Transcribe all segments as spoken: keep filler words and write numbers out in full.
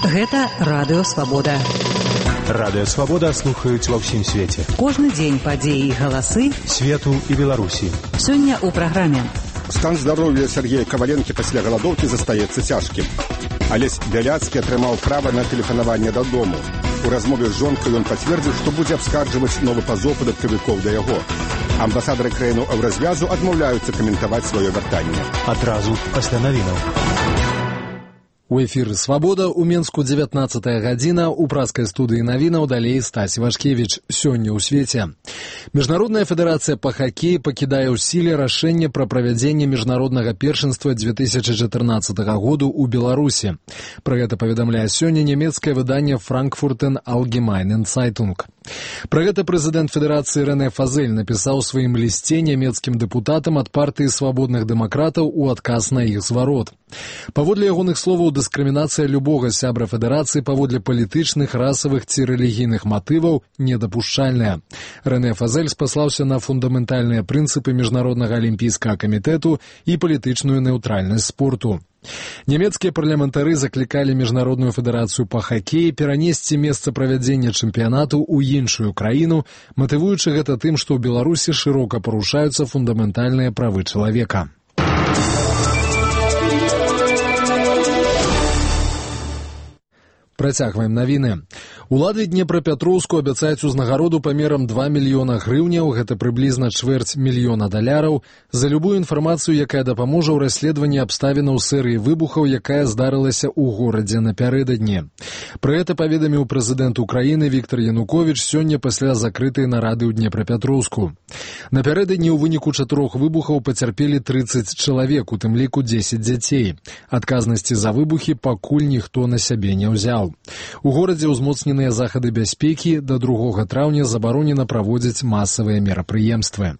Гэта Радыё Свабода. Радыё Свабода слухаюць ва ўсім свеце. Кожны дзень падзеі і галасы свету і Беларусі. Сёння ў праграме. Стан здароўя Сергея Каваленкі пасля галадоўкі застаецца цяжкім. Алесь Бяляцкі атрымаў права на тэлефанаванне дадому. У размове з жонкай ён пацвердзіў, што будзе абскарджваць новы пазоў падаткавікоў да яго. Амбасадары краінаў еўразвязу адмаўляюцца каментаваць сваё вяртанне. Адразу пасля навінаў. У эфіры «Свабода» у Менску дзевятнаццатая гадзіна, у праскай студыі навінаў далей Стась Вашкевіч. Сёння ў свеце. Міжнародная федэрацыя па хакеі пакідае ў сіле рашэнне пра правядзенне міжнароднага першынства две тысячы чатырнаццатага году ў Беларусі. Пра гэта паведамляе сёння нямецкае выданне «Frankfurter Allgemeine Zeitung». Пра гэта прэзідэнт федэрацыі Рэне Фазель напісаў у сваім лісце нямецкім дэпутатам ад партыі свабодных дэмакратаў у адказ на іх зварот. Паводле ягоных словаў, дыскрымінацыя любога сябра федэрацыі паводле палітычных, расавых ці рэлігійных матываў недапушчальная. Рэне Фазель спаслаўся на фундаментальныя прынцыпы міжнароднага алімпійскага камітэту і палітычную неўтральнасць спорту. Нямецкія парламентары заклікалі міжнародную федэрацыю па хакеі перанесці месца правядзення чэмпіянату ў іншую краіну, матывуючы гэта тым, што ў Беларусі шырока парушаюцца фундаментальныя правы чалавека. Працягваем навіны. Улады Днепрапятроўску абяцаюць узнагароду памерам два мільёна грыўняў, гэта прыблізна чвэрць мільёна даляраў, за любую інфармацыю, якая дапаможа ў расследаванні абставінаў серыі выбухаў, якая здарылася ў горадзе напярэдадні. Пра гэта паведаміў прэзідэнт Украіны Віктор Януковіч сёння пасля закрытай нарады ў Днепрапятроўску. Напярэдадні ў выніку чатырох выбухаў пацярпелі трыццаць чалавек, у тым ліку дзесяць дзяцей. Адказнасці за выбухі пакуль ніхто на сябе не ўзяў. У горадзе ўзмоцненыя захады бяспекі, да другога траўня забаронена праводзіць масавыя мерапрыемствы.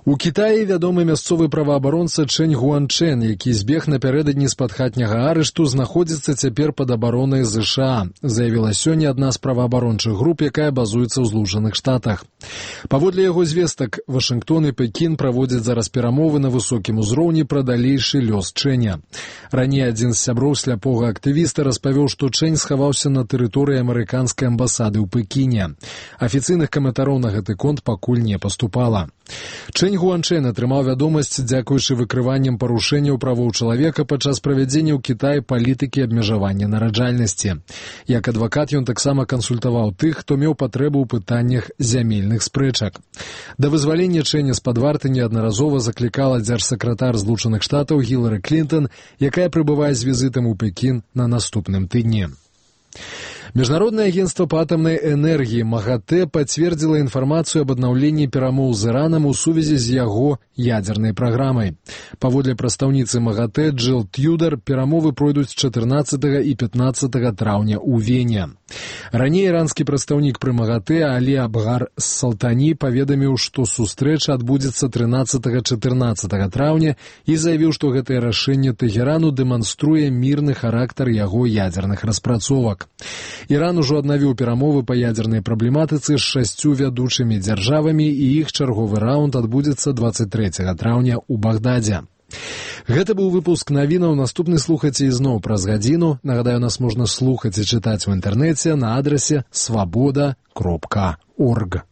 У Кітаі вядомы мясцовы праваабаронца Чэнь Гуанчэн, які збег напярэдадні з-пад хатняга арышту, знаходзіцца цяпер пад абаронай ЗША, заявіла сёння адна з праваабарончых груп, якая базуецца ў Злучаных Штатах. Паводле яго звестак, Вашынгтон і Пекін праводзяць зараз перамовы на высокім узроўні пра далейшы лёс Чэня. Раней адзін з сяброў сляпога актывіста распавёў, што Чэнь схаваўся на тэрыторыі амерыканскай амбасады ў Пекіне. Афіцыйных каментароў на гэты конт пакуль не паступала. Чэнь Гуанчэн атрымаў вядомасць дзякуючы выкрыванням парушэнняў правоў чалавека падчас правядзення ў Кітаі палітыкі абмежавання нараджальнасці. Як адвакат ён таксама кансультаваў тых, хто меў патрэбу ў пытаннях зямельных спрэчак. Да вызвалення Чэня з-пад варты неаднаразова заклікала дзяржсакратар Злучаных Штатаў Гілары Клінтон, якая прыбывае з візітам у Пекін на наступным тыдні. Міжнароднае агенцтва па атамнай энергіі МАГАТЭ пацвердзіла інфармацыю аб аднаўленні перамоў з Іранам у сувязі з яго ядзернай праграмай. Паводле прадстаўніцы МАГАТЭ Джил Тьюдар, перамовы пройдуць чатырнаццатага і пятнаццатага траўня ў Вене. Раней иранскі прадстаўнік пры МАГАТЭ Алі Абгар Салтані паведаміў, што сустрэча адбудзецца трынаццатага-чатырнаццатага траўня і заявіў, што гэтае рашэнне Тэхерану дэманструе мірны характар яго ядзерных распрацовак. Іран ужо аднавіў перамовы па ядзернай праблематыцы з шасцю вядучымі дзяржавамі, і іх чарговы раунд адбудзецца дваццаць трэцяга траўня ў Багдадзе. Гэта быў выпуск навінаў, наступны слухайце ізноў праз гадзіну. Нагадаю, нас можна слухаць і чытаць у інтэрнэце на адрасе свабода кропка орг.